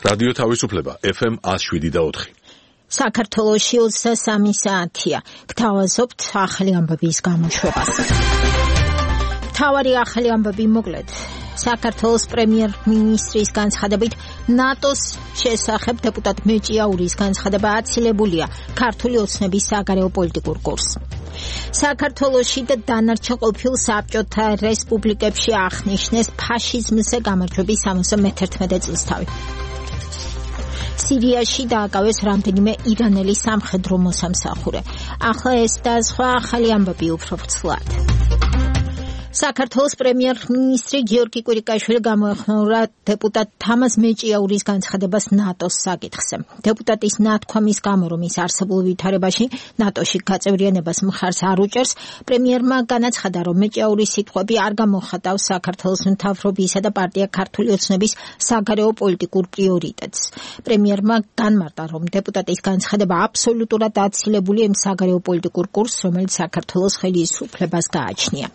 რადიო თავისუფლება FM 107.4. საქართველოში 23 საათია. გთავაზობთ ახალი ამბების გამოშვებას. მთავარი ახალი ამბები მოკლედ. საქართველოს პრემიერ-მინისტრის განცხადებით ნატოს შესახებ დეპუტატ მეჭიაურის განცხადება აცილებულია ქართული ოცნების საგარეო პოლიტიკურ კურსს. საქართველოში და დანარჩენ ყოფილ საბჭოთა რესპუბლიკებში აღნიშნეს ფაშიზმზე გამარჯვების 71 წლისთავი. სირიაში დააკავეს რამდენიმე ირანელი სამხედრო მოსამსახურე. ახლა ეს და სხვა ახალი ამბები უფრო ვრცლად. საქართველოს პრემიერ-მინისტრი გიორგი კვირიკაშვილი გამოეხმაურა დეპუტატ თამაზ მეჭიაურის განცხადებას ნატოს საკითხზე. დეპუტატის ნათქვამის გამო, რომ ის არსებულ ვითარებაში ნატოში გაწევრიანებას მხარს არ უჭერს, პრემიერმა განაცხადა, რომ მეჭიაურის სიტყვები არ გამოხატავს საქართველოს მთავრობისა და პარტია ქართული ოცნების საგარეო პოლიტიკურ პრიორიტეტს. პრემიერმა განმარტა, რომ დეპუტატის განცხადება აბსოლუტურად აცილებულია იმ საგარეო პოლიტიკურ კურსს, რომელიც საქართველოს ხელისუფლებას გააჩნია.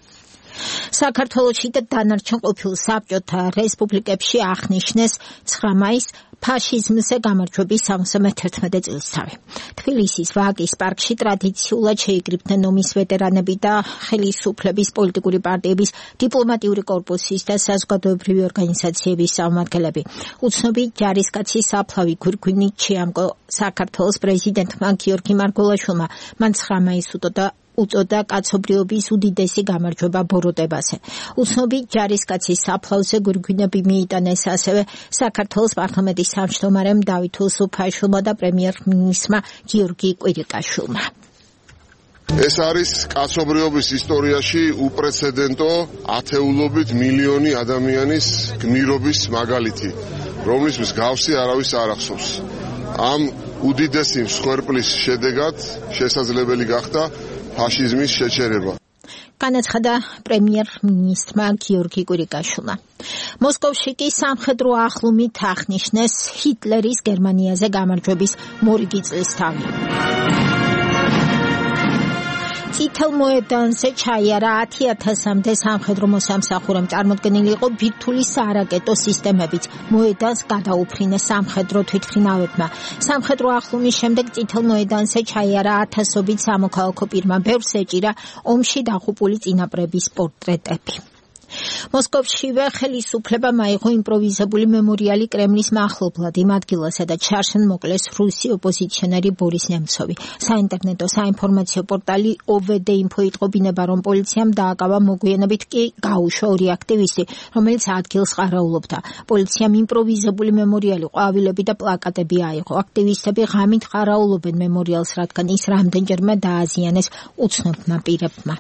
საქართველოში და დანარჩენ ყოფილ საბჭოთა რესპუბლიკებში აღნიშნეს 9 მაისს ფაშიზმზე გამარჯვების 71 წლისთავი. თბილისის ვაკის პარკში ტრადიციულად შეიკრიბნენ ომის ვეტერანები და ხელისუფლების პოლიტიკური პარტიების დიპლომატიური კორპუსის და საზოგადოებრივი ორგანიზაციების წარმომადგენლები. უცნობი ჯარისკაცი საფლავი გვირგვინი ჩიამკო საქართველოს პრეზიდენტმა გიორგი მარგველაშვილმა მან 9 მაისს უწოდა კაცობრიობის უდიდესი გამარჯვება ბოროტებაზე. უცნობი ჯარისკაცის საფლავზე გვირგვინები მიიტანეს ასევე საქართველოს პარლამენტის თავმჯდომარემ დავით უსუფაშვილმა და პრემიერ-მინისტრმა გიორგი კვირიკაშვილმა. ეს არის კაცობრიობის ისტორიაში უპრეცედენტო ათეულობით მილიონი ადამიანის გმირობის მაგალითი, რომლის მსგავსი არავის არ ახსოვს. ამ უდიდესი მსხვერპლის შედეგად შესაძლებელი გახდა ფაშიზმის შეჩერება. განაცხადა პრემიერ-მინისტრმა გიორგი კვირიკაშვილმა. მოსკოვში კი სამხედრო ახლომით აღნიშნეს ჰიტლერის გერმანიაზე გამარჯვების მორიგი წლისთავი. წითელ მოედანზე ჩაიარა 10,000-მდე სამხედრო მოსამსახურემ, წარმოდგენილი იყო ბირთვული საარაკეტო სისტემებით. მოედანს გადაუფრინეს სამხედრო თვითმფრინავებმა. სამხედრო ახლომის შემდეგ წითელ მოედანზე ჩაიარა ათასობით სამოქალაქო პირმა. ბევრს ეჭირა ომში დაღუპული წინაპრების პორტრეტები. მოსკოვშივე ხელისუფლებამ აიღო იმპროვიზებული მემორიალი კრემლის მახლობლად იმ ადგილას, სადაც შარშან მოკლეს რუსი ოპოზიციონერი ბორის ნემცოვი. საინტერნეტო საინფორმაციო პორტალი OVD-Info იტყო ბინება, რომ პოლიციამ დააკავა, მოგვიანებით კი გაუშვა 2 აქტივისტი, რომელიც ადგილს ყარაულობდა. პოლიციამ იმპროვიზებული მემორიალი, ყვავილები და პლაკატები აიღო. აქტივისტები ღამით ყარაულობენ მემორიალს, რადგან ის რამდენჯერმე დააზიანეს უცნობმა პირებმა.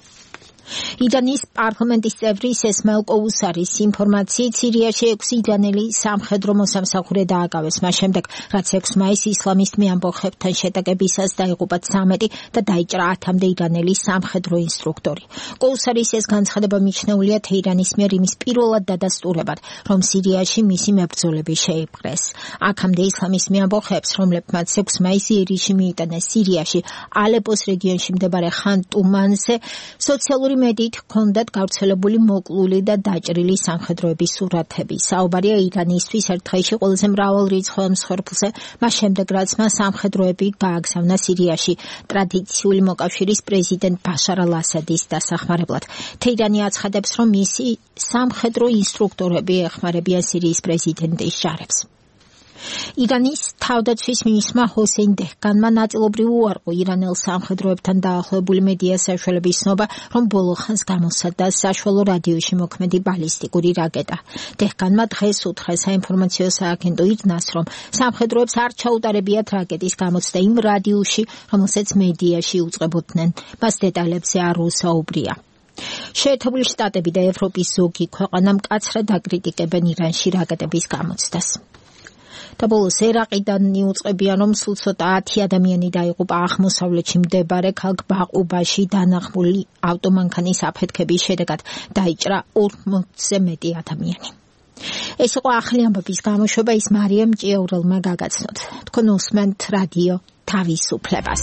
ირანის პარლამენტის წევრი ესმაილ კოუსარის ინფორმაციით სირიაში 6 ირანელი სამხედრო მოსამსახურე დააკავეს, მას შემდეგ რაც 6 მაისს ისლამისტ მეამბოხებთან შეტაკებისას დაიღუპა 13 და დაიჭრა 10-მდე ირანელი სამხედრო ინსტრუქტორი. კოუსარის ეს განცხადება მიჩნეულია თეირანის მიერ იმის პირველად დადასტურებად, რომ სირიაში მისი მებრძოლები შეიპყრეს. აქამდე ისლამისტ მეამბოხებს, რომლებმაც 6 მაისს ერიში მიიტანეს სირიაში ალეპოს რეგიონში მდებარე ხან ტუმანზე, სოციალური მედიით ჰქონდათ გავრცელებული მოკლული და დაჭრილი სამხედროების სურათები. საუბარია ირანისთვის ერთ დღეში ყველაზე მრავალრიცხოვან მსხვერპლზე, მას შემდეგ რაც მას სამხედროები გააგზავნა სირიაში ტრადიციული მოკავშირის პრეზიდენტ ბაშარ ალ-ასადის დასახმარებლად. თეირანი აცხადებს, რომ მისი სამხედრო ინსტრუქტორები ეხმარებიან სირიის პრეზიდენტის ჯარებს. ირანის თავდაცვის მინისტრმა ჰოსეინ დეჰგანმა ნაწილობრივ უარყო ირანელ სამხედროებთან დაახლოებული მედია საშუალების ცნობა, რომ ბოლო ხანს გამოსცადა საშუალო რადიოში მოქმედი ბალისტიკური რაკეტა. დეჰგანმა დღეს უთხრა საინფორმაციო სააგენტო ირნას, რომ სამხედროებს არ ჩაუტარებიათ რაკეტის გამოცდა იმ რადიოში, რომელსაც მედიაში უწყებოდნენ. მას დეტალებზე არ უსაუბრია. შეერთებული შტატები და ევროპის ზოგი ქვეყანა მკაცრად აკრიტიკებენ ირანში რაკეტების გამოცდას. და ბოლოს ერაყიდან მიუწყებიან, რომ სულ ცოტა 10 ადამიანი დაიღუპა აღმოსავლეთში მდებარე ქალაქ ბაყუბაში დანახმული ავტომანქანის აფეთქების შედეგად, დაიჭრა 40-ზე მეტი ადამიანი. ეს იყო ახალი ამბების გამოშვება, ის მარიამ ჭიაურელმა გაგაცნოთ. თქვენ უსმენთ რადიო თავისუფლებას.